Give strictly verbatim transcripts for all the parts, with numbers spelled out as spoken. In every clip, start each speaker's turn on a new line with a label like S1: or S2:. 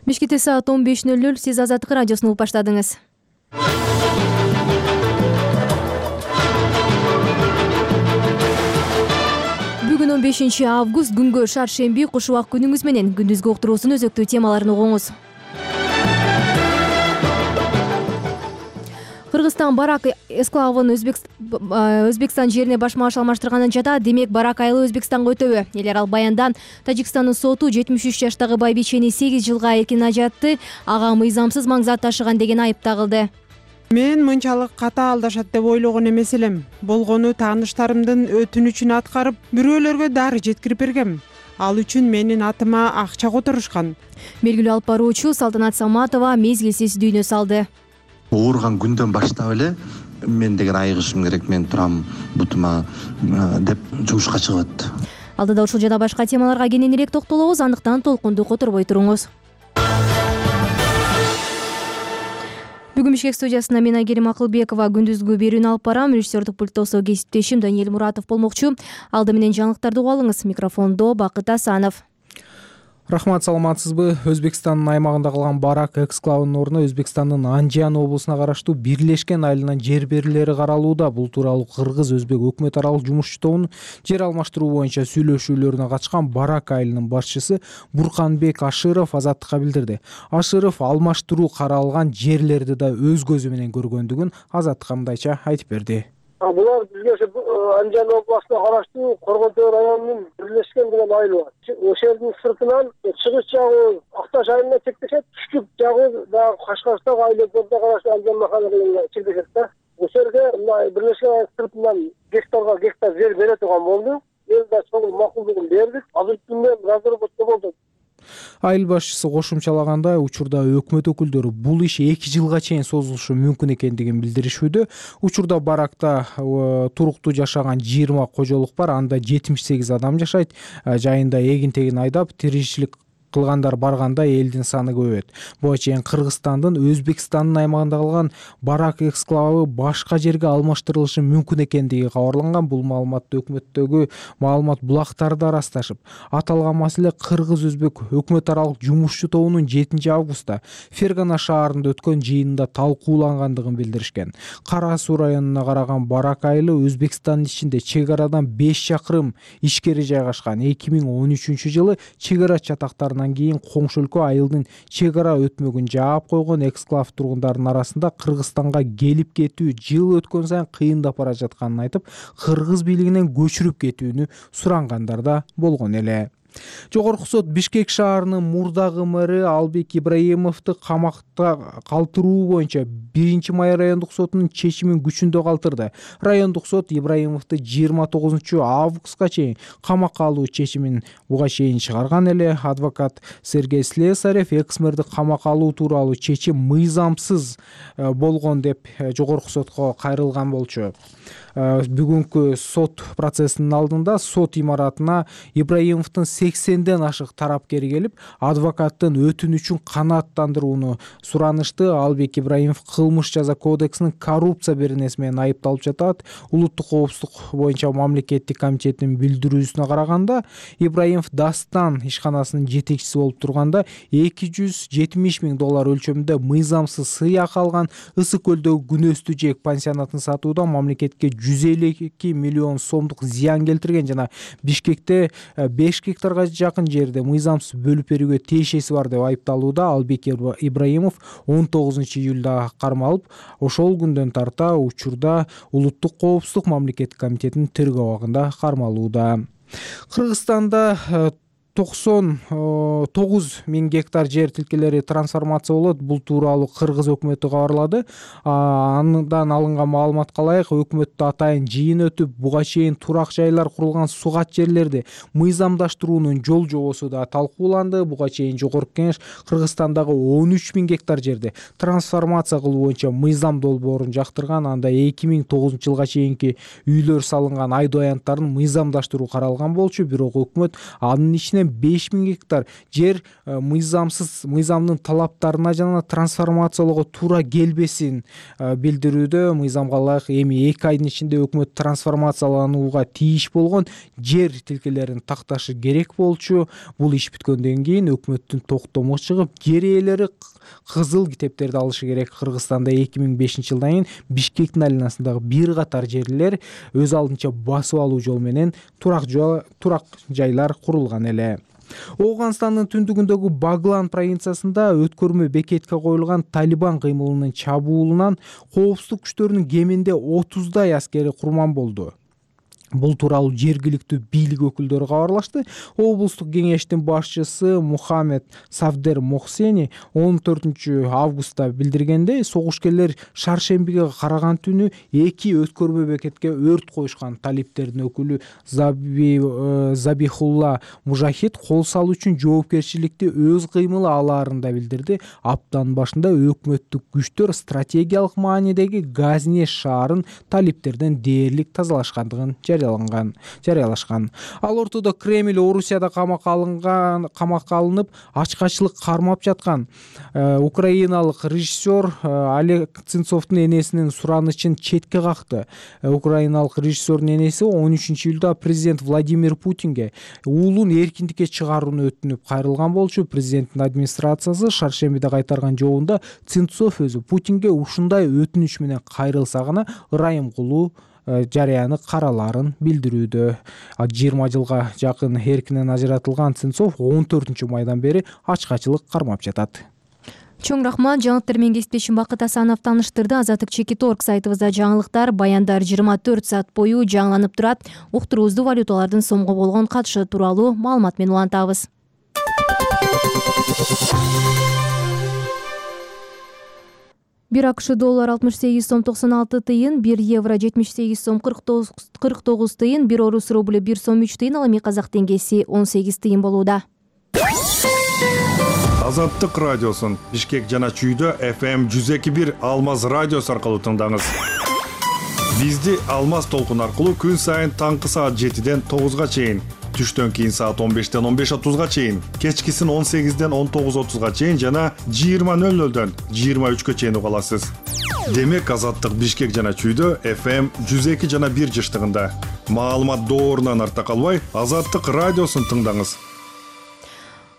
S1: Бишкекте саат он беш ноль ноль. Сиз Азаттык радиосун угуп баштадыңыз. Бүгүн он бешинчи август, күнгө шаршемби. Куш убак күнүңүз менен күндүзгү уктуруусунун өзөктүү темаларын угуңуз. Кыргызстан барак эксклавын Өзбекстан жерине баш маш алмаштырганын жатат. Демек, барак айылы Өзбекстанга өтөбү. Эл аралык баяндан Тажикстандын соту жетимиш үч жаштагы байбичени сегиз жылга эркин ажатты. Ага мыйзамсыз маң зат ташыган деген айып тагылды.
S2: Мен мынчалык катаалдашат деп ойлогон эмес элем. Болгону тааныштарымдын өтүнүчүн аткарып, бирөөлөргө дары жеткирип бергем. Ал үчүн менин атыма акча которушкан.
S1: Белгилүү алып баруучу Салтанат Саматова мезгилсиз дүйнө салды.
S3: Ооруган күндөн баштап эле мен деген айыгышым керек, мен турам бутума деп жумушка чыгып.
S1: Алдыда ушул жана башка темаларга кененирээк токтолобуз, андыктан толкунду которбой туруңуз. Бүгүн Бишкек студиясында мен Айгерим Акылбекова күндүзгү берүүнү алып барам. Режиссердик пульттосо кесиптешим Даниэль Муратов болмокчу. Алды менен жаңылыктарды угуп алыңыз. Микрофондо Бакыт Асанов.
S4: Рахмат, саламатсызбы? Өзбекстандын аймагында калган барак эксклавынын ордуна Өзбекстандын Анжан облусуна караштуу Бирлешкен айылынан жер берүүлери каралууда. Бул тууралуу Кыргыз-Өзбек өкмөт аралык жумушчу тобунун жер алмаштыруу боюнча сүйлөшүүлөрүнө катышкан барак айылынын башчысы Бурканбек Ашыров Азаттыкка билдирди. Ашыров алмаштыруу каралган жерлерди да өз көзү менен көргөндүгүн Азаттыкка мындайча айтып берди.
S5: Булар бизге Анжан областына караштуу Коргонтөө районунун Бирлешкен деген айылы бар. Ошол жердин сыртынан чыгыш жагы Акташ айылына чектешет, түштүк жагы дагы Кашкарстан айылына караштуу Анжан махалласына чектешет да. Ошол жерде Бирлешкен айыл сыртынан гектарга гектар жер бере турган болду. Эл да сол макулдугун бердик. Азыркы күндө разработка болду.
S4: Айыл башчысы кошумчалагандай, учурда өкмөт өкүлдөрү бул иш эки жылга чейин созулушу мүмкүн экендигин билдиришүүдө. Учурда баракта туруктуу жашаган жыйырма кожолук бар, анда жетимиш сегиз адам жашайт. Жайында эгин тегин айдап, тиричилик кылгандар барганда элдин саны көбөйөт. Буга чейин Кыргызстандын Өзбекстандын аймагында калган барак эксклавы башка жерге алмаштырылышы мүмкүн экендиги кабарланган. Бул маалыматты өкмөттөгү маалымат булактары да ырасташып, аталган маселе Кыргыз-Өзбек өкмөт аралык жумушчу тобунун жетинчи августта Фергана шаарында өткөн жыйынында талкуулангандыгын билдиришкен. Кара Суу районуна караган барак айылы Өзбекстандын ичинде чек арадан беш чакырым ичкери жайгашкан. эки миң он үчүнчү жылы чек ара чатактарынан кийин коңшу өлкө айылдын чек ара өтмөгүн жаап койгон. Эксклав тургундарынын арасында Кыргызстанга келип кетүү жыл өткөн сайын кыйындап бара жатканын айтып, кыргыз бийлигинен көчүрүп кетүүнү сурангандар да болгон эле. Жогорку сот Бишкек шаарынын мурдагы мэри Албек Ибраимовду камакта калтыруу боюнча биринчи май райондук сотунун чечимин күчүндө калтырды. Райондук сот Ибраимовду жыйырма тогузунчу августка чейин камакка алуу чечимин буга чейин чыгарган эле. Адвокат Сергей Слесарев экс-мэрди камакка алуу тууралуу чечим мыйзамсыз болгон деп жогорку сотко кайрылган болчу. Бүгүнкү сот процессинин алдында сот имаратына Ибраимовдун сексенден ашык тарапкери келип, адвокаттын өтүнүчүн канааттандырууну суранышты. Албек Ибраимов кылмыш жаза кодексинин коррупция беренеси менен айыпталып жатат. Улуттук коопсуздук боюнча мамлекеттик комитеттин билдирүүсүнө караганда, Ибраимов Дастан ишканасынын жетекчиси болуп турганда эки жүз жетимиш миң доллар өлчөмүндө мыйзамсыз сыйак алган. Ысык көлдөгү Күнөстүү жээк пансионатын сатууда мамлекетке жүз элүү эки миллион сомдук зыян келтирген жана Бишкекте беш гектарга жакын жерде мыйзамсыз бөлүп берүүгө тиешеси бар деп айыпталууда. Албек Ибраимов он тогузунчу июлда кармалып, ошол күндөн тарта учурда Улуттук коопсуздук мамлекеттик комитетинин тергөө абагында кармалууда. Кыргызстанда токсон тогуз миң гектар жер тилкелери трансформация болот. Бул тууралуу Кыргыз өкмөтү кабарлады. Андан алынган маалыматка ылайык, өкмөттө атайын жыйын өтүп, буга чейин турак жайлар курулган сугат жерлерди мыйзамдаштыруунун жол жобосу да талкууланды. Буга чейин Жогорку Кеңеш Кыргызстандагы он үч миң гектар жерди трансформация кылуу боюнча мыйзам долбоорун жактырган. Анда эки миң тогузунчу жылга чейинки үйлөр салынган айдоо аянттарын мыйзамдаштыруу каралган болчу. Бирок өкмөт анын ичине менен беш миң гектар жер мыйзамсыз мыйзамдын талаптарына жана трансформациялоого туура келбесин билдирүүдө. Мыйзамга ылайык эми эки айдын ичинде өкмөт трансформацияланууга тийиш болгон жер тилкелерин такташы керек болчу. Бул иш бүткөндөн кийин өкмөттүн токтому чыгып, жер ээлери кызыл китептерди алышы керек. Кыргызстанда эки миң бешинчи жылдан кийин Бишкектин айланасындагы бир катар жерлер өз алдынча басып алуу жол менен турак турак жайлар курулган эле. Ооганстандын түндүгүндөгү Баглан провинциясында өткөрмө бекетке коюлган Талибан кыймылынын чабуулунан коопсуздук күчтөрүнүн кеминде отуздай аскери курман болду. Бул тууралуу жергиликтүү бийлик өкүлдөрү кабарлашты. Облустук кеңештин башчысы Мухаммед Савдер Мохсени он төртүнчү августта билдиргендей, согушкерлер шаршембиге караган түнү эки өткөрмө бекетке өрт коюшкан. Талиптердин өкүлү Заби Забихулла Мужахид кол салуу үчүн жоопкерчиликти өз кыймылы алаарында билдирди. Аптанын башында өкмөттүк күчтөр стратегиялык маанидеги Газне шаарын талиптерден дээрлик тазалашкандыгын жарыялашкан. Ал ортодо Кремль Орусияда камакка алынган камакка алынып, ачкачылык кармап жаткан украиналык режиссер Олег Сенцовдун энесинин суранычын четке какты. Украиналык режиссердун энеси он үчүнчү июлда президент Владимир Путинге уулун эркиндикке чыгарууну өтүнүп кайрылган болчу. Президенттин администрациясы шаршембиде кайтарган жообунда Сенцов өзү Путинге ушундай өтүнүч менен кайрылса гана ырайым кылуу жарыяны каралаарын билдирүүдө. жыйырма жылга жакын эркинен ажыратылган Сенцов он төртүнчү майдан бери ачкачылык кармап жатат.
S1: Чоң рахмат. Жаңылыктар менен кесиптешим Бакыт Асанов таныштырды. Азаттык чекит точка орг сайтыбызда жаңылыктар, баяндар жыйырма төрт саат бою жаңыланып турат. Уктуруубузду валюталардын сомго болгон катышы тууралуу маалымат менен улантабыз. бир акш доллар алтымыш сегиз сом токсон алты тыйын, бир евро жетимиш сегиз сом кырк тогуз тыйын, бир орус рубль бир сом үч тыйын, ал эми казак теңгеси он сегиз тыйын болууда.
S6: Азаттык радиосун Бишкек жана Чүйдө эф эм жүз эки бир Алмаз радиосу аркылуу тыңдаңыз. Бизди Алмаз толкун аркылуу күн сайын таңкы саат жетиден тогузга чейин, түштөн кийин саат он бештен он беш отузга чейин, кечкисин он сегизден он тогуз отузга чейин жана жыйырма нөл нөлдөн жыйырма үчкө чейин уга аласыз. Демек Азаттык Бишкек жана Чүйдө эф эм жүз эки жана бир жыштыгында. Маалымат доорунан арта калбай, Азаттык радиосун тыңдаңыз.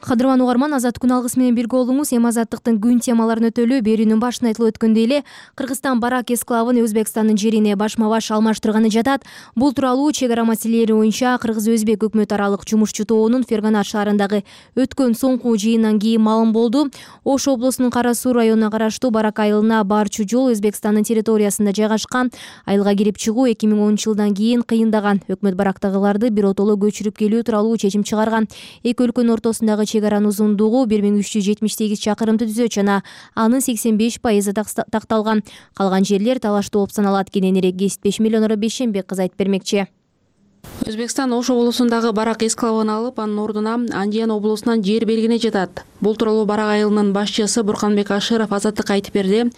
S1: Кадырман угарман, Азат күн алгысы менен бирге болуңуз. Эми Азаттыктын күн темаларын өтөлүү. Берүүнүн башында айтылып өткөндөй эле, Кыргызстан барак эсклавын Өзбекстандын жерине башма-баш алмаштырганы жатат. Бул тууралуу чек ара маселелери боюнча Кыргыз-Өзбек өкмөт аралык жумушчу тобунун Ферганат шаарындагы өткөн соңку жыйындан кийин маалым болду. Ош облусунун Кара Суу районуна караштуу Барак айылына барчу жол Өзбекстандын территориясында жайгашкан. Айылга кирип чыгуу эки миң онунчу жылдан кийин кыйындаган. Өкмөт барактагыларды биротоло көчүрүп келүү тууралуу чечим чыгарган. Эки өлкөнүн ортосундагы чек аранын узундугу бир миң үч жүз жетимиш сегиз чакырымды түзөт жана анын сексен беш пайызы такталган. Калган жерлер талаштуу болуп саналат. Кененирээк кесиптешим Элеонора Бейшенбек кызы айтып бермекчи.
S7: Өзбекстан Ош облусундагы Барак эсклавын алып, анын ордуна Андиян облусунан жер белгине жатат. Бул тууралуу Барак айылынын башчысы Бурканбек Ашыров Азаттыкка айтып берди.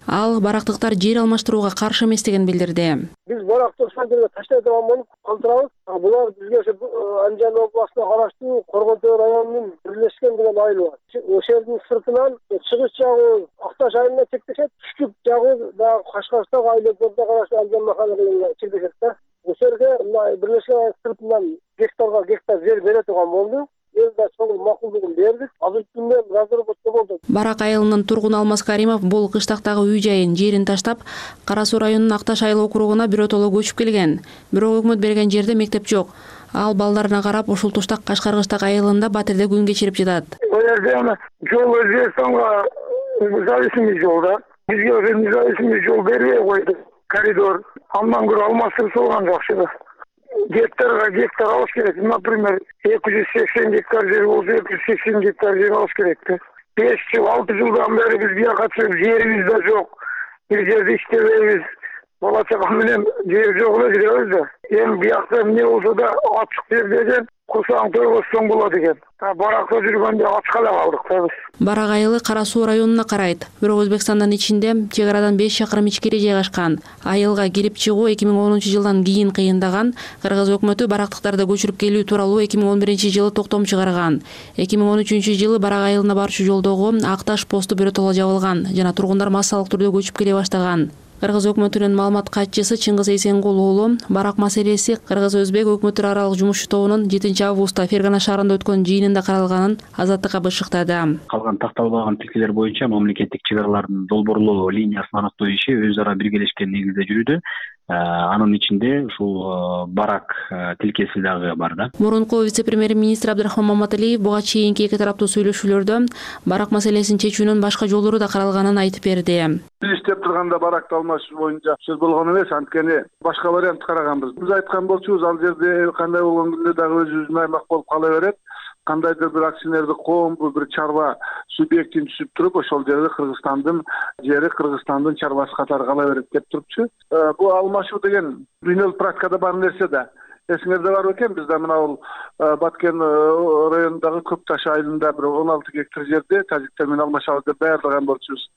S7: Ал барактыктар жер алмаштырууга каршы эместигин билдирди.
S5: Биз баракты ошондой таштайдыган болуп калтырабыз. Булар бизге Андиян областына караштуу Коргонтөө районунун бирлешкен деген айыл бар. Ошол жердин сыртынан чыгыш жагы Акташ айылына чектешет, түштүк жагы дагы Кашкарстагы айылдарга караштуу Андиян махалласына чектешет да. Ошол жерге бирлешкен сыртынан гектарга гектар жер бере турган болду.
S7: Барак айылынын тургуну Алмаз Каримов бул кыштактагы үй жайын жерин таштап, Кара Суу районунун Акташ айыл округуна биротоло көчүп келген. Бирок өкмөт берген жерде мектеп жок. Ал балдарына карап ушул туштак Кашкаргычтак айылында батирде күн кечирип жатат.
S5: Бул жерде жол Өзбекстанга зависимый жол да. Бизге зависимый жол бербей койду. Коридор. Андан көрө алмаштырып салган жакшы да. Гектарга гектар алыш керек. Например, эки жүз сексен гектар жер болсо эки жүз сексен гектар жер алыш керек. беш жыл, алты жылдан бери биз бияка чыгып жерибиз да жок. Бир жерде иштебейбиз. бала чага менен жер жок эле жүрөбүз да. Эми биякта эмне болсо да ачык жер деген курсаң тойгозсоң болот экен. Баракта жүргөндө ачка эле калдык да биз.
S7: Барак айылы Кара Суу районуна карайт. Бирок Өзбекстандын ичинде чек арадан беш чакырым ичкери жайгашкан. Айылга кирип чыгуу эки миң онунчу жылдан кийин кыйындаган. Кыргыз өкмөтү барактыктарды көчүрүп келүү тууралуу эки миң он биринчи жылы токтом чыгарган. эки миң он үчүнчү жылы Барак айылына барчу жолдогу Акташ посту биротоло жабылган жана тургундар массалык түрдө көчүп келе баштаган. Кыргыз өкмөтүнүн маалымат катчысы Чыңгыз Эйсенкул уулу барак маселеси Кыргыз-Өзбек өкмөттөр аралык жумуш тобунун жетинчи августта Фергана шаарында өткөн жыйынында каралганын Азаттыкка бышыктады.
S8: Калган такталбаган тилкелер боюнча мамлекеттик чек аралардын долбоорлоо линиясын аныктоо иши өз ара биргелешкен негизде жүрүүдө. Анын ичинде ушул барак тилкеси дагы бар да.
S7: Мурунку вице-премьер-министр Абдрахман Маматалиев буга чейинки эки тараптуу сүйлөшүүлөрдө барак маселесин чечүүнүн башка жолдору да каралганын айтып берди.
S9: Биз иштеп турганда баракты алмашуу боюнча сөз болгон эмес, анткени башка вариант караганбыз. Биз айткан болчубуз, ал жерде кандай болгон күндө дагы өзүбүздүн аймак болуп кала берет. Кандайдыр бир акционердик коомду, бир чарба субъектин түзүп туруп, ошол жерде Кыргызстандын жери Кыргызстандын чарбасы катары кала берет деп турупчу. Бул алмашуу деген дүйнөлүк практикада бар нерсе да. Эсиңерде бар экен, бизде мына бул Баткен районундагы Көк Таш айылында бир он алты гектар жерде тажиктер менен алмашабыз деп даярдаган болчубуз.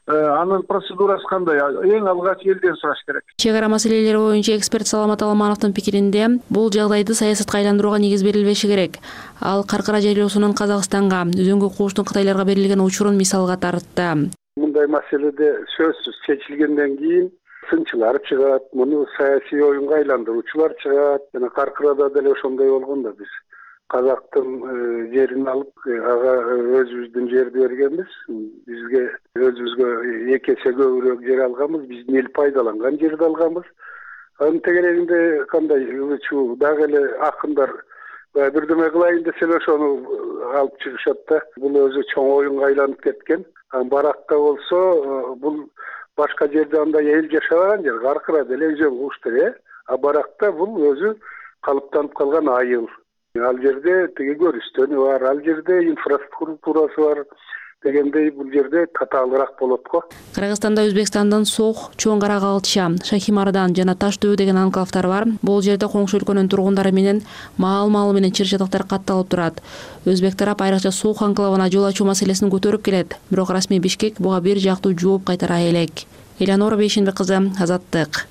S9: Анын процедурасы кандай? Эң алгач элден сураш керек.
S7: Чек ара маселелери боюнча эксперт Саламат Аламановдун пикиринде, бул жагдайды саясатка айландырууга негиз берилбеши керек. Ал каркыра жайлоосунун Казакстанга, үзөңгү кууштун Кытайларга берилген учурун мисалга тартты.
S5: Мындай маселеде сөзсүз чечилгенден кийин сынчылар чыгат, муну саясий оюнга айландыруучулар чыгат. Жана каркырада деле ошондой болгон да, биз Казактын жерин алып, ага өзүбүздүн жерди бергенбиз. Бизге өзүбүзгө эки эсе көбүрөөк жер алганбыз, биздин эл пайдаланган жерди алганбыз. Анын тегерегинде кандай чу дагы эле акындар бирдеме кылайын десе ошону алып чыгышат да. Бул өзү чоң оюнга айланып кеткен. Баракта болсо бул башка жерде андай эл жашабаган жер, каркыра деле өзөң куштар, а баракта бул өзү калыптанып калган айыл. Ал жерде теге көрүстөнү бар, ал жерде инфраструктурасы бар дегендей бул жерде татаалыраак болот го.
S7: Кыргызстанда Өзбекстандын Сох, Чоң Кара Калча, Шахимардан жана Таш дөбө деген анклавдар бар. Бул жерде коңшу өлкөнүн тургундары менен маал-маал менен чыр-чатактар катталып турат. Өзбек тарап айрыкча Сох анклавына жол ачуу маселесин көтөрүп келет. Бирок расмий Бишкек буга бир жактуу жооп кайтара элек. Элянора Бейшенбек кызы, Азаттык.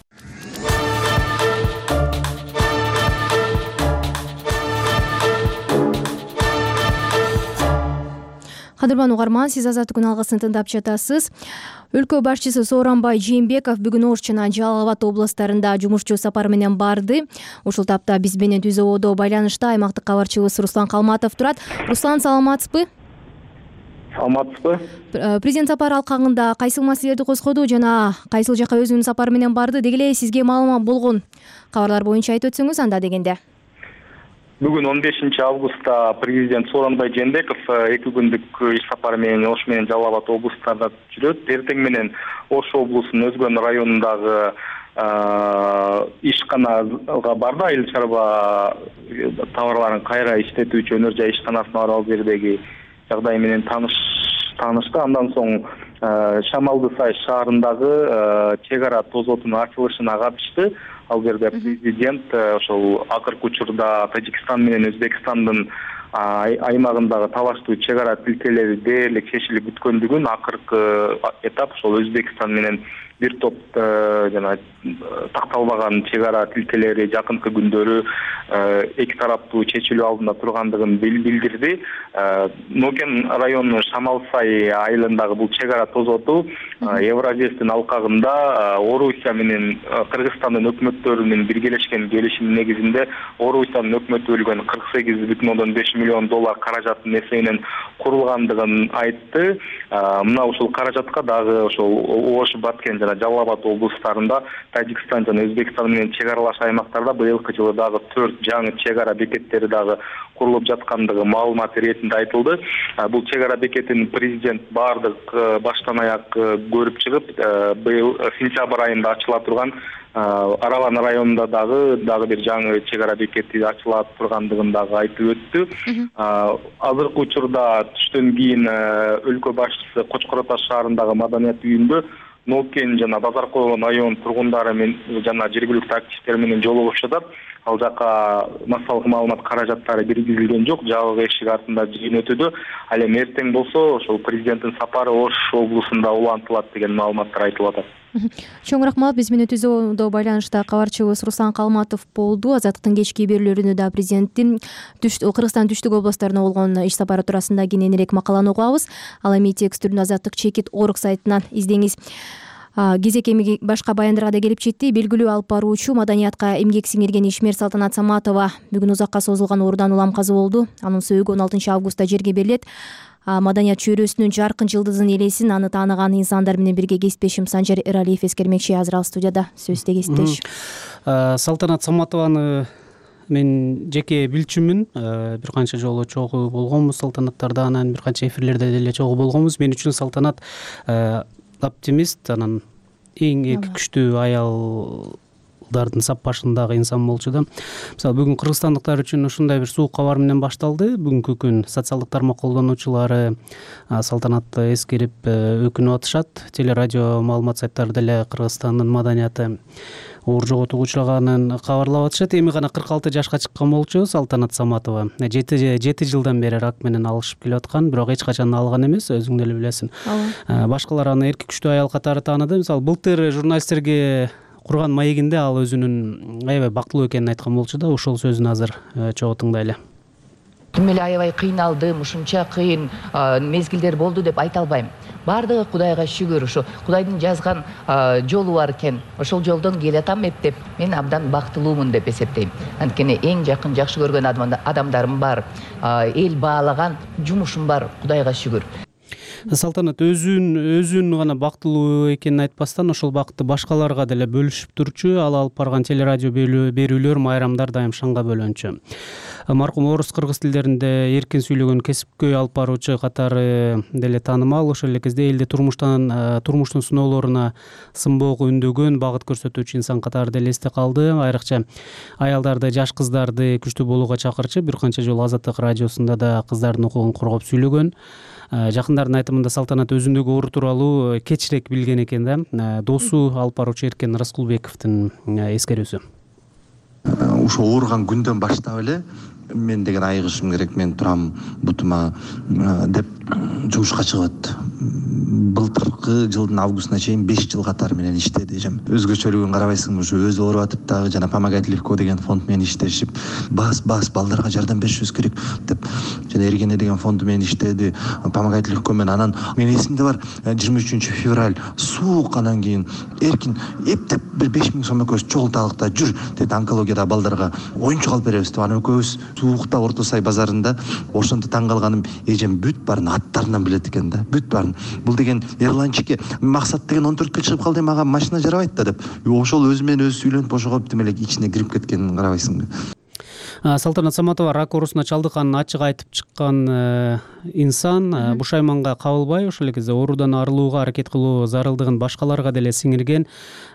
S1: Кадырман угарман, сиз Азаттыктын алгысын тыңдап жатасыз. Өлкө башчысы Сооронбай Жээнбеков бүгүн Ош жана Жалал Абад областарында жумушчу сапар менен барды. Ушул тапта биз менен түз ободо байланышта аймактык кабарчыбыз Руслан Калматов турат. Руслан, саламатсызбы?
S10: Саламатсызбы?
S1: Президент сапар алкагында кайсыл маселелерди козгоду жана кайсыл жака өзүнүн сапары менен барды? Деги эле сизге маалымат болгон кабарлар боюнча айтып өтсөңүз анда дегенде.
S10: Бүгүн он бешинчи августта президент Сооронбай Жээнбеков эки күндүк иш сапары менен Ош менен Жалал Абад облустарында жүрөт. Эртең менен Ош облусунун Өзгөн районундагы ишканага барды. Айыл чарба товарларын кайра иштетүүчү өнөр жай ишканасына барып ал жердеги жагдай менен таныш таанышты. Андан соң Шамалды Сай шаарындагы чек ара тозотунун ачылышына катышты. Ал жерде президент ошол акыркы учурда Тажикстан менен Өзбекстандын аймагындагы талаштуу чек ара тилкелери дээрлик чечилип бүткөндүгүн, акыркы этап ошол Өзбекстан менен бир топ жана такталбаган чек ара тилкелери жакынкы күндөрү эки тараптуу чечилүү алдында тургандыгын билдирди. Ноген районунун Шамалсай айылындагы бул чек ара тозоту Евразиядын алкагында Орусия менен Кыргызстандын өкмөттөрүнүн биргелешкен келишими негизинде Орусиянын өкмөтү бөлгөн кырк сегиз бүтүн ондон беш миллион доллар каражаттын эсебинен курулгандыгын айтты. Мына ушул каражатка дагы ошол Ош, Баткен жана Жалал Абад облустарында Тажикстан жана Өзбекстан менен чек аралаш аймактарда быйылкы жылы дагы төрт жаңы чек ара бекеттери дагы курулуп жаткандыгы маалымат иретинде айтылды. Бул чек ара бекетин президент баардык баштан аяк көрүп чыгып, быйыл сентябрь айында ачыла турган Аралан районунда дагы дагы бир жаңы чек ара бекети ачыла тургандыгын дагы айтып өттү. Азыркы учурда түштөн кийин өлкө башчысы Кочкор Ата шаарындагы маданият үйүндө ноокин жана базар койгон район тургундары менен жана жергиликтүү активисттер менен жолугуп жатат. Ал жака массалык маалымат каражаттары киргизилген жок, жабык эшик артында жыйын өтүүдө. Ал эми эртең болсо ошол президенттин сапары Ош облусунда улантылат деген маалыматтар айтылып атат.
S1: Чоң рахмат. Биз менен түзүүдө байланышта кабарчыбыз Руслан Калматов болду. Азаттыктын кечки берүүлөрүндө да президенттин Кыргызстандын түштүк областарына болгон иш сапары туурасында кененирээк макаланы угабыз. Ал эми текстүрүн Азаттык чекит орг сайтынан издеңиз. Кезек эми башка баяндарга да келип жетти. Белгилүү алып баруучу, маданиятка эмгек сиңирген ишмер Салтанат Саматова бүгүн узакка созулган оорудан улам каза болду. Анын сөөгү он алтынчы августта жерге берилет. Маданият чөйрөсүнүн жаркын жылдызын элесин аны тааныган инсандар менен бирге кесиптешим Санжар Эралиев эскермекчи. Азыр ал студияда. Сөздө кесиптеш.
S11: Салтанат Саматованы мен жеке билчүмүн. Бир канча жолу чогуу болгонбуз салтанаттарда, анан бир канча эфирлерде деле чогуу болгонбуз. Мен үчүн Салтанат оптимист, анан эң эки күчтүү аялдардын сап башындагы инсан болчу да. Мисалы бүгүн кыргызстандыктар үчүн ушундай бир суук кабар менен башталды. Бүгүнкү күн социалдык тармак колдонуучулары Салтанатты эскерип өкүнүп атышат. Телерадио маалымат сайттары деле Кыргызстандын маданияты оор жоготууга учраганын кабарлап атышат. Эми гана кырк алты жашка чыккан болчу Салтанат Саматова. жети жылдан бери рак менен алышып келип аткан, бирок эч качан алган эмес, өзүң деле билесиң. Башкалар аны эрки күчтүү аял катары тааныды. Мисалы былтыр журналисттерге курган маегинде ал өзүнүн аябай бактылуу экенин айткан болчу да. Ошол сөзүн азыр чогуу тыңдайлы.
S12: Тим эле аябай кыйналдым, ушунча кыйын мезгилдер болду деп айта албайм. Бардыгы Кудайга шүгүр, ушу Кудайдын жазган жолу бар экен. Ошол жолдон келатам эптеп, мен абдан бактылуумун деп эсептейм. Анткени эң жакын жакшы көргөн адамдарым бар, эл баалаган жумушум бар, Кудайга шүгүр.
S11: Салтанат өзүн өзүн гана бактылуу экенин айтпастан ошол бакытты башкаларга деле бөлүшүп турчу. Ал алып барган телерадио берүүлөр, майрамдар дайым шаңга бөлөнчү. Маркум орус кыргыз тилдеринде эркин сүйлөгөн кесипкөй алып баруучу катары деле таанымал. Ошол эле кезде элди турмуштан турмуштун сыноолоруна сынбоого үндөгөн, багыт көрсөтүүчү инсан катары деле эсте калды. Айрыкча аялдарды, жаш кыздарды күчтүү болууга чакырчу. Бир канча жолу Азаттык радиосунда да кыздардын укугун коргоп сүйлөгөн. Жакындардын айтымында Салтанат өзүндөгү оору тууралуу кечирээк билген экен да. Досу алып баруучу Эркен Раскулбековдун эскерүүсү.
S3: Ушо ооруган күндөн баштап эле мен деген айыгышым керек, мен турам бутума деп жугушка чыгып. Былтыркы жылдын августуна чейин беш жыл катары менен иштеди эжем. Өзгөчөлүгүн карабайсыңбы, ушу өзү ооруп атып дагы жана Помогать легко деген фонд менен иштешип, бас бас балдарга жардам беришибиз керек деп жана Эргене деген фонду менен иштеди, Помогать легко менен. Анан мен эсимде бар, жыйырма үчүнчү февраль суук, анан кийин Эркин эптеп бир беш миң сом экөөбүз чогулталык да жүр деди, онкологияда балдарга оюнчук алып беребиз деп. Анан экөөбүз суукта Орто Сай базарында, ошондо таң калганым, эжем бүт баарын аттарынан билет экен да, бүт баарын. Бул деген Эрланчике максат деген он төрткө чыгып калды, мага машина жарабайт да деп. Ошол өзү менен өзү сүйлөнүп ошого тим эле ичине кирип кеткенин карабайсыңбы.
S11: Салтанат Саматова рак оорусуна чалдыкканын ачык айтып чыккан инсан, бушайманга кабылбай, ошол эле кезде оорудан арылууга аракет кылуу зарылдыгын башкаларга деле сиңирген,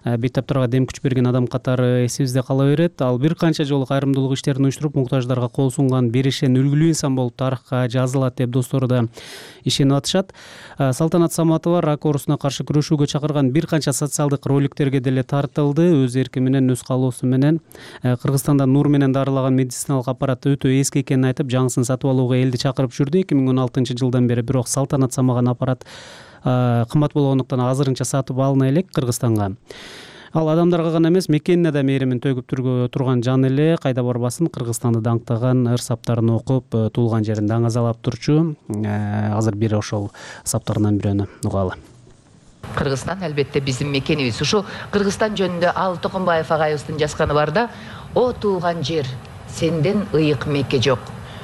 S11: бейтаптарга дем күч берген адам катары эсибизде кала берет. Ал бир канча жолу кайрымдуулук иштерин уюштуруп, муктаждарга кол сунган беришен үлгүлүү инсан болуп тарыхка жазылат деп достору да ишенип атышат. Салтанат Саматова рак оорусуна каршы күрөшүүгө чакырган бир канча социалдык роликтерге деле тартылды. Өз эрки менен, өз каалоосу менен Кыргызстанда нур менен дарылаган медициналык аппарат өтө эски экенин айтып, жаңысын сатып алууга элди чакырып жүрдү. эки миң он алтынчы жылдан бери бирок Салтанат самаган аппарат кымбат болгондуктан азырынча сатып алына элек Кыргызстанга. Ал адамдарга гана эмес, мекенине да мээримин төгүп турган жан эле, кайда барбасын Кыргызстанды даңктаган ыр саптарын окуп, туулган жерин даңазалап турчу. Азыр бир ошол саптарынан бирөөнү угалы.
S12: Кыргызстан албетте биздин мекенибиз. Ушу Кыргызстан жөнүндө Ал Токонбаев агайыбыздын жазганы бар да: "О туулган жер, сенден ыйык меке жок.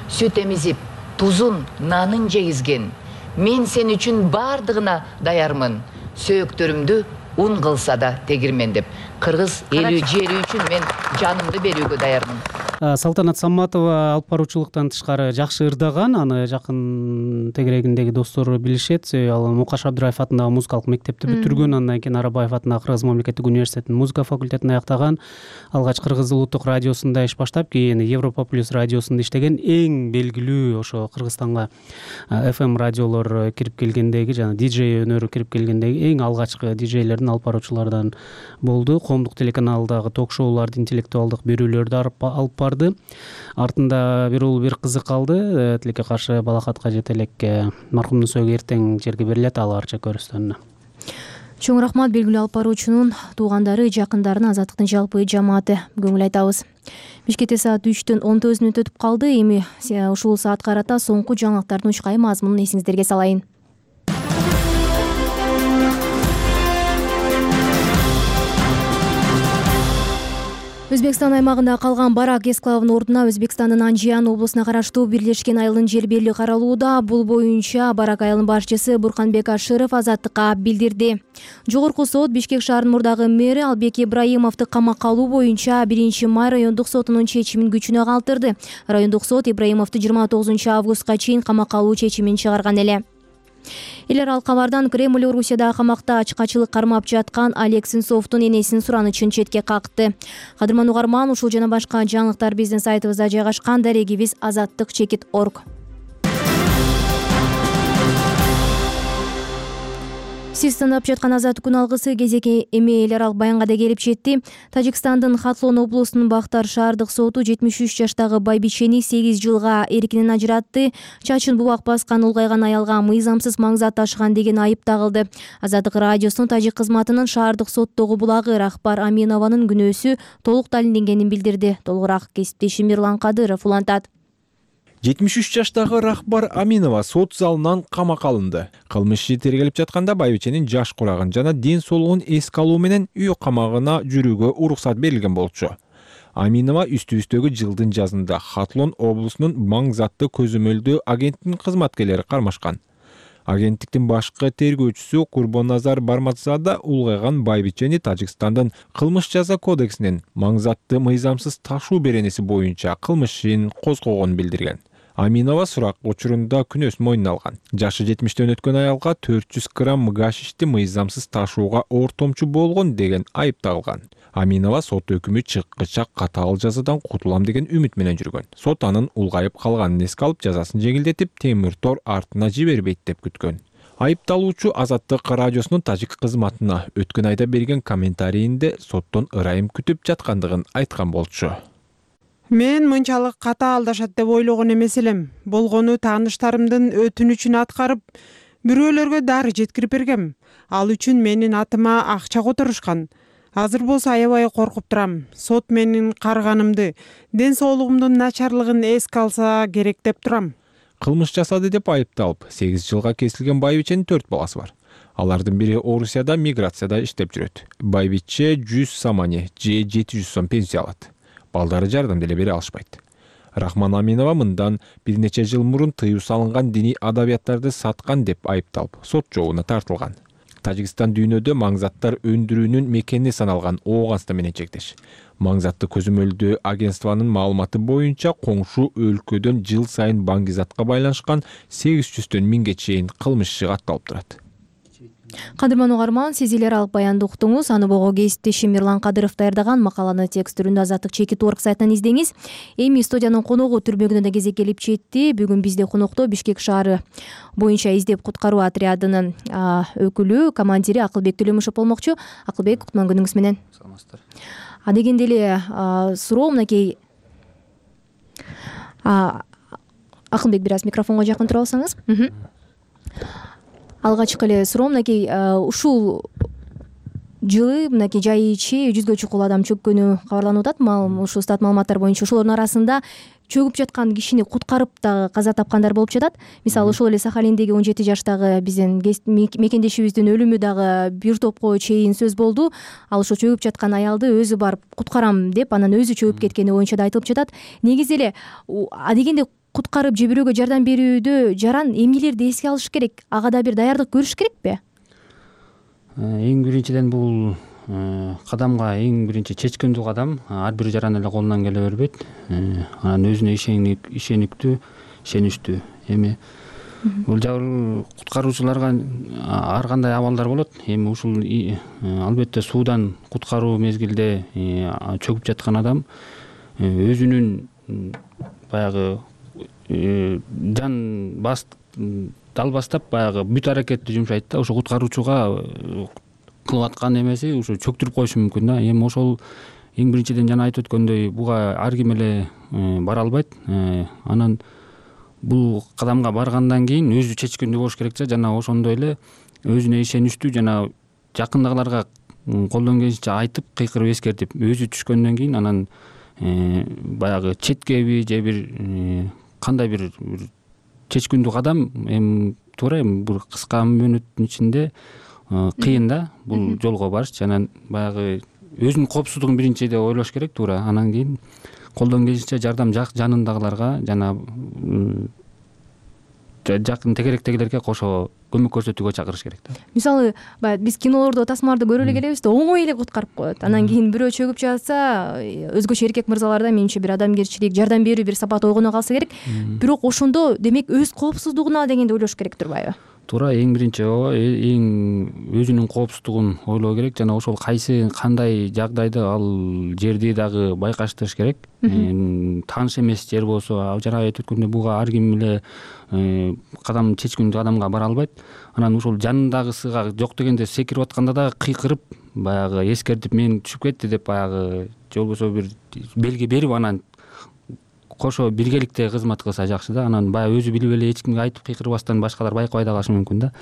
S12: Сүт эмизип, тузун, нанын жегизген. Мен сен үчүн бардыгына даярмын. Сөөктөрүмдү ун кылса да тегирмен" деп. Кыргыз элүү жери үчүн мен жанымды берүүгө даярмын.
S11: Салтанат Саматова алып баруучулуктан тышкары жакшы ырдаган, аны жакын тегерегиндеги достору билишет. Ал Мукаш Абдыраев атындагы музыкалык мектепти бүтүргөн, андан кийин Арабаев атындагы Кыргыз мамлекеттик университетинин музыка факультетин аяктаган. Алгач Кыргыз улуттук радиосунда иш баштап, кийин Европа плюс радиосунда иштеген, эң белгилүү ошо Кыргызстанга эф эм радиолор кирип келгендеги, жана диджей өнөрү кирип келгендеги эң алгачкы диджейлердин алып баруучулардан болду. Коомдук телеканалдагы ток-шоуларды, интеллектуалдык берүүлөрдү алып барды. Артында бир уул бир кызы калды. Тилекке каршы балакатка жете элек маркумдун сөөгү эртең жерге берилет. Ал арча көрүстөнүнө.
S1: Чоң рахмат белгилүү алып баруучунун туугандары, жакындарына, Азаттыктын жалпы жамааты көңүл айтабыз. Бишкекте саат үчтөн он тогуз мүнөт өтүп калды. Эми ушул саат карата соңку жаңылыктардын учкай мазмунун эсиңиздерге салайын. Өзбекстан аймагында калган барак эсклавынын ордуна Өзбекстандын Анжиян облусуна караштуу Бирлешкен айылдын жер берили каралууда. Бул боюнча барак айылынын башчысы Бурканбек Ашыров Азаттыкка билдирди. Жогорку сот Бишкек шаарынын мурдагы мэри Албек Ибраимовду камакка алуу боюнча биринчи май райондук сотунун чечимин күчүнө калтырды. Райондук сот Ибраимовду жыйырма тогузунчу августка чейин камакка алуу чечимин чыгарган эле. Эл аралык кабардан Кремль Орусияда камакта ачкачылык кармап жаткан Олег Сенцовдун энесинин суранычын четке какты. Кадырман угарман, ушул жана башка жаңылыктар биздин сайтыбызда жайгашкан. Дарегибиз азаттык чекит точка орг. Сиз тыңдап жаткан Азаттык күн алгысы кезеки эми эл аралык баянга да келип жетти. Тажикстандын Хатлон облусунун Бактар шаардык соту жетимиш үч жаштагы байбичени сегиз жылга эркинен ажыратты. Чачын бубак баскан улгайган аялга мыйзамсыз маңзат ташыган деген айып тагылды. Азаттык радиосунун тажик кызматынын шаардык соттогу булагы Рахбар Аминованын күнөөсү толук далилденгенин билдирди. Толугураак кесиптешим Мирлан Кадыров улантат.
S13: жетимиш үч жаштагы Рахбар Аминова сот залынан камакка алынды. Кылмыш иши тергелип жатканда байбиченин жаш курагын жана ден соолугун эске алуу менен үй камагына жүрүүгө уруксат берилген болчу. Аминова үстүбүздөгү жылдын жазында Хатлон облусунун маңзатты көзөмөлдөө агенттигинин кызматкерлери кармашкан. Агенттиктин башкы тергөөчүсү Курбоназар Барматзада улгайган байбичени Тажикстандын кылмыш жаза кодексинин маңзатты мыйзамсыз ташуу беренеси боюнча кылмыш ишин козгогонун билдирген. Аминова сурак учурунда күнөөсүн мойнуна алган. Жашы жетимиштен өткөн аялга төрт жүз грамм гашишти мыйзамсыз ташууга ортомчу болгон деген айып тагылган. Аминова сот өкүмү чыккыча катаал жазадан кутулам деген үмүт менен жүргөн. Сот анын улгайып калганын эске алып, жазасын жеңилдетип, темир тор артына жибербейт деп күткөн. Айыпталуучу Азаттык радиосунун тажик кызматына өткөн айда берген комментарийинде соттон ырайым күтүп жаткандыгын айткан болчу.
S2: Мен мынчалык катаал алдашат деп ойлогон эмес элем. Болгону тааныштарымдын өтүнүчүн аткарып, бирөөлөргө дары жеткирип бергем. Ал үчүн менин атыма акча которушкан. Азыр болсо аябай коркуп турам. Сот менин карыганымды, ден соолугумдун начарлыгын эске алса керек деп турам.
S13: Кылмыш жасады деп айыпталып, сегиз жылга кесилген байбиченин төрт баласы бар. Алардын бири Орусияда миграцияда иштеп жүрөт. Байбиче жүз самани же жети жүз сом пенсия алат. Балдары жардам деле бере алышпайт. Рахман Аминова мындан бир нече жыл мурун тыюу салынган диний адабияттарды саткан деп айыпталып, сот жообуна тартылган. Тажикстан дүйнөдө маңзаттар өндүрүүнүн мекени саналган Ооганстан менен чектеш. Маңзатты көзөмөлдөө агентствонун маалыматы боюнча коңшу өлкөдөн жыл сайын баңгизатка байланышкан сегиз жүздөн миңге чейин кылмыш иши катталып турат.
S1: Кадырман угарман, сиз эл аралык баянды уктуңуз. Аны бого кесиптешим Мирлан Кадыров даярдаган. Макаланы текст түрүндө Азаттык чекит точка орг сайтынан издеңиз. Эми студиянын коногу түрмөгүнө да кезек келип жетти. Бүгүн бизде конокто Бишкек шаары боюнча издеп куткаруу отрядынын өкүлү, командири Акылбек Төлөмүшев болмокчу. Акылбек, кутман күнүңүз менен.
S14: Саламатсыздар.
S1: А дегенде эле суроо мынакей Акылбек, бир аз микрофонго жакын тура алсаңыз. Алгачкы эле суроо мынакей ушул жылы мынакей жай ичи жүзгө чукул адам чөккөнү кабарланып атат. Ушул стат маалыматтар боюнча ошолордун арасында чөгүп жаткан кишини куткарып дагы каза тапкандар болуп жатат. Мисалы ошол эле Сахалиндеги он жети жаштагы биздин мекендешибиздин өлүмү дагы бир топко чейин сөз болду. Ал ошо чөгүп жаткан аялды өзү барып куткарам деп, анан өзү чөгүп кеткени боюнча да айтылып жатат. Негизи эле адегенде куткарып же бирөөгө жардам берүүдө жаран эмнелерди эске алыш керек? Ага да бир даярдык көрүш керекпи?
S11: Эң биринчиден бул кадамга эң биринчи чечкиндүү кадам ар бир жаран эле колунан келе бербейт. Анан өзүнө ишениктүү, ишеничтүү. Эми бул жабыр куткаруучуларга ар кандай абалдар болот. Эми ушул албетте суудан куткаруу мезгилде чөгүп жаткан адам өзүнүн баягы жан бас далбастап баягы бүт аракетти жумшайт да. Ошо куткаруучуга кылып аткан эмеси ушу чөктүрүп коюшу мүмкүн да. Эми ошол эң биринчиден жана айтып өткөндөй буга ар ким эле бара албайт. Анан бул кадамга баргандан кийин өзү чечкиндүү болуш керек да. Жана ошондой эле өзүнө ишеничтүү жана жакындагыларга колдон келишинче айтып, кыйкырып эскертип, өзү түшкөндөн кийин анан баягы четкеби же бир кандай бир чечкиндүү кадам эми туура эми бир кыска мөөнөттүн ичинде кыйын да бул жолго барыш. Жана баягы өзүнүн коопсуздугун биринчиде ойлош керек туура. Анан кийин колдон келишинче жардам жанындагыларга жана жакын тегеректегилерге кошо көмөк көрсөтүүгө чакырыш керек да.
S1: Мисалы баягы биз кинолордо, тасмаларда көрө эле келебиз да, оңой эле куткарып коет. Анан кийин бирөө чөгүп жатса, өзгөчө эркек мырзаларда менимче бир адамгерчилик, жардам берүү бир сапат ойгоно калса керек. Бирок ошондо демек өз коопсуздугуна дегенде ойлош керек турбайбы?
S11: Туура, эң биринчи ооба эң өзүнүн коопсуздугун ойлоо керек жана ошол кайсы кандай жагдайда ал жерди дагы байкаштырыш керек. Тааныш эмес жер болсо, жана айтып өткөндөй буга ар ким эле кадам чечкиндүү адамга бара албайт. Анан ошол жанындагысыга жок дегенде секирип атканда да кыйкырып, баягы эскертип, мен түшүп кетти деп баягы же болбосо бир белги берип анан кошо биргеликте кызмат кылса жакшы да. Анан баягы өзү билип эле эч кимге айтып кыйкырбастан башкалар байкабай да калышы мүмкүн да.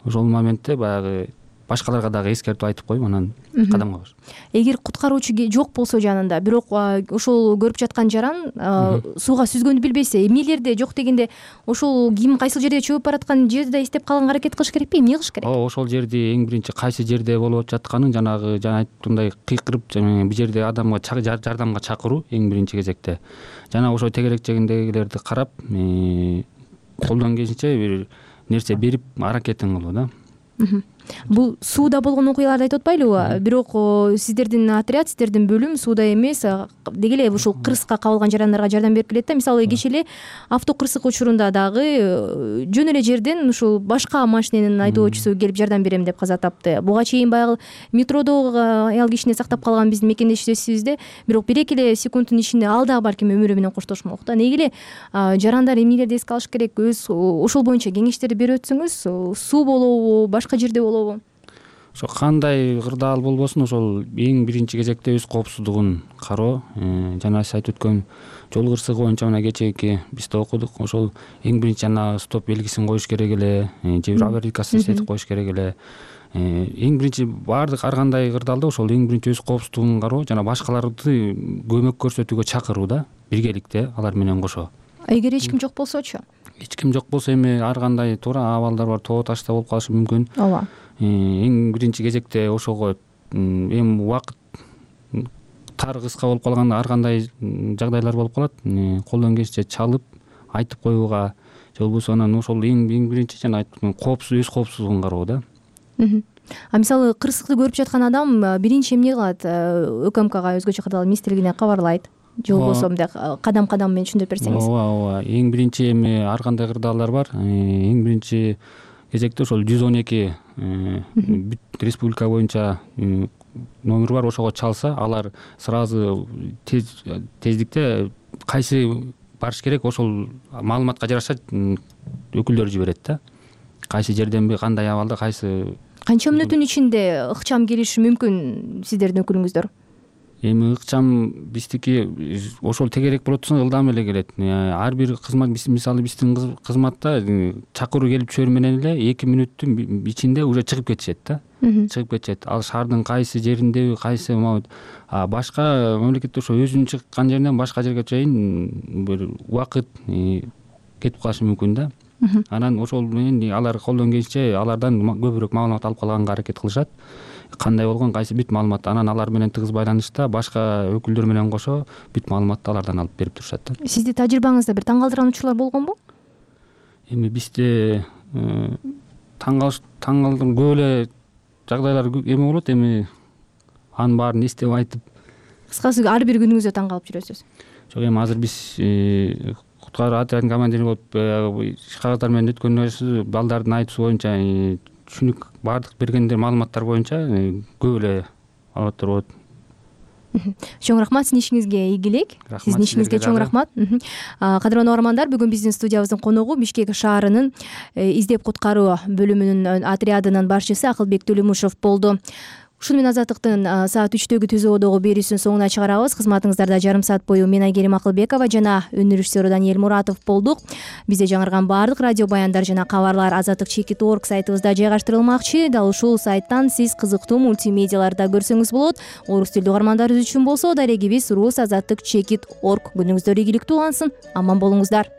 S11: Ошол моментте баягы башкаларга дагы эскертип айтып коюп анан кадамга баш.
S1: Эгер куткаруучу жок болсо жанында, бирок ошол көрүп жаткан жаран сууга сүзгөндү билбесе, эмнелерде жок дегенде ошол ким кайсыл жерде чөгүп бараткан жерди да эстеп калганга аракет кылыш керекпи? Эмне кылыш керек?
S11: Ооба, ошол жерди эң биринчи кайсы жерде болуп жатканын жанагы жана айткандай кыйкырып, бул жерде адамга жардамга чакыруу эң биринчи кезекте. Жана ошо тегерек жегиндегилерди карап, колдон келишинче бир нерсе берип аракетин кылуу да.
S1: Бул сууда болгон окуяларды айтып атпайлыбы? Бирок сиздердин отряд, сиздердин бөлүм сууда эмес, деги эле ушул кырсыкка кабылган жарандарга жардам берип келет да. Мисалы кечээ эле автокырсык учурунда дагы жөн эле жерден ушул башка машиненин айдоочусу келип жардам берем деп каза тапты. Буга чейин баягы метродо аял кишини сактап калган биздин мекендешибизде, бирок бир эки эле секундтун ичинде ал дагы балким өмүрү менен коштошмок да. Неге эле жарандар эмнелерди эске алыш керек? Өз ошол боюнча кеңештерди берип өтсөңүз, суу болобу, башка жерде болобу?
S11: Ошо кандай кырдаал болбосун, ошол эң биринчи кезекте өз коопсуздугун кароо. Жана сиз айтып өткөн жол кырсыгы боюнча мына кечээки биз да окудук. Ошол эң биринчи жана стоп белгисин коюш керек эле, же бир аварийкасын иштетип коюш керек эле. Эң биринчи баардык ар кандай кырдаалда ошол эң биринчи өз коопсуздугун кароо жана башкаларды көмөк көрсөтүүгө чакыруу да, биргеликте алар менен кошо.
S1: Эгер эч ким жок болсочу?
S11: Эч ким жок болсо эми ар кандай туура абалдар бар, тоо ташта болуп калышы мүмкүн.
S1: Ооба.
S11: Эң биринчи кезекте ошого эми убакыт тар кыска болуп калганда ар кандай жагдайлар болуп калат. Колдон келишинче чалып айтып коюуга же болбосо анан ошол эң биринчи жана айткан коопсуз өз коопсуздугун кароо да.
S1: А мисалы кырсыкты көрүп жаткан адам биринчи эмне кылат? ÖКМКга өзгөчө кырдаал министрлигине кабарлайт. Же болбосо мындай кадам-кадам менен түшүндүрүп берсеңиз.
S11: Ооба, ооба. Эң биринчи эми ар кандай кырдаалдар бар. Эң биринчи кезекте ошол жүз он эки бүт республика боюнча номер бар, ошого чалса алар сразу тездикте кайсы барыш керек ошол маалыматка жараша өкүлдөр жиберет да. Кайсы жерденби, кандай абалда, кайсы.
S1: Канча мүнөттүн ичинде ыкчам келиши мүмкүн сиздердин өкүлүңүздөр?
S11: Эми ыкчам биздики ошол тегерек болот турса ылдам эле келет. Ар бир кызмат, мисалы биздин кызматта чакыруу келип түшөр менен эле эки мүнөттүн ичинде уже чыгып кетишет да. Чыгып кетишет. Ал шаардын кайсы жериндеби, кайсы башка мамлекетте ошо өзүнүн чыккан жеринен башка жерге чейин бир убакыт кетип калышы мүмкүн да. Анан ошол менен алар колдон келишинче алардан көбүрөөк маалымат алып калганга аракет кылышат. Кандай болгон, кайсы бүт маалымат, анан алар менен тыгыз байланышта башка өкүлдөр менен кошо бүт маалыматты алардан алып берип турушат да.
S1: Сизди тажрыйбаңызда бир таң калтырган учурлар болгонбу?
S11: Эми бизде таң калтырган көп эле жагдайлар эме болот. Эми анын баарын эстеп айтып.
S1: Кыскасы ар бир күнүңүздө таң калып жүрөсүз.
S11: Жок, эми азыр биз куткаруу отрядынын командири болуп иш кагаздары менен өткөндө балдардын айтуусу боюнча түшүнүк баардык бергендер маалыматтар боюнча көп эле албаттар болот.
S1: Чоң рахмат, сиздин ишиңизге ийгилик. Сиздин ишиңизге чоң рахмат. Кадырлуу угармандар, бүгүн биздин студиябыздын коногу Бишкек шаарынын издеп куткаруу бөлүмүнүн отрядынын башчысы Акылбек Төлөмушев болду. Ушуну менен Азаттыктын саат үчтөгү түзөөдөгү берүүсүн соңуна чыгарабыз. Кызматыңыздарда жарым саат бою мен Айгерим Акылбекова жана өнөр режиссеру Даниэль Муратов болдук. Бизде жаңырган баардык радио баяндар жана кабарлар азаттык чекит точка орг сайтыбызда жайгаштырылмакчы. Дал ушул сайттан сиз кызыктуу мультимедиаларды көрсөңүз болот. Орус тилдүү угармандарыбыз үчүн болсо дарегибиз рус азаттык чекит точка орг. Күнүңүздөр ийгиликтүү улансын. Аман болуңуздар.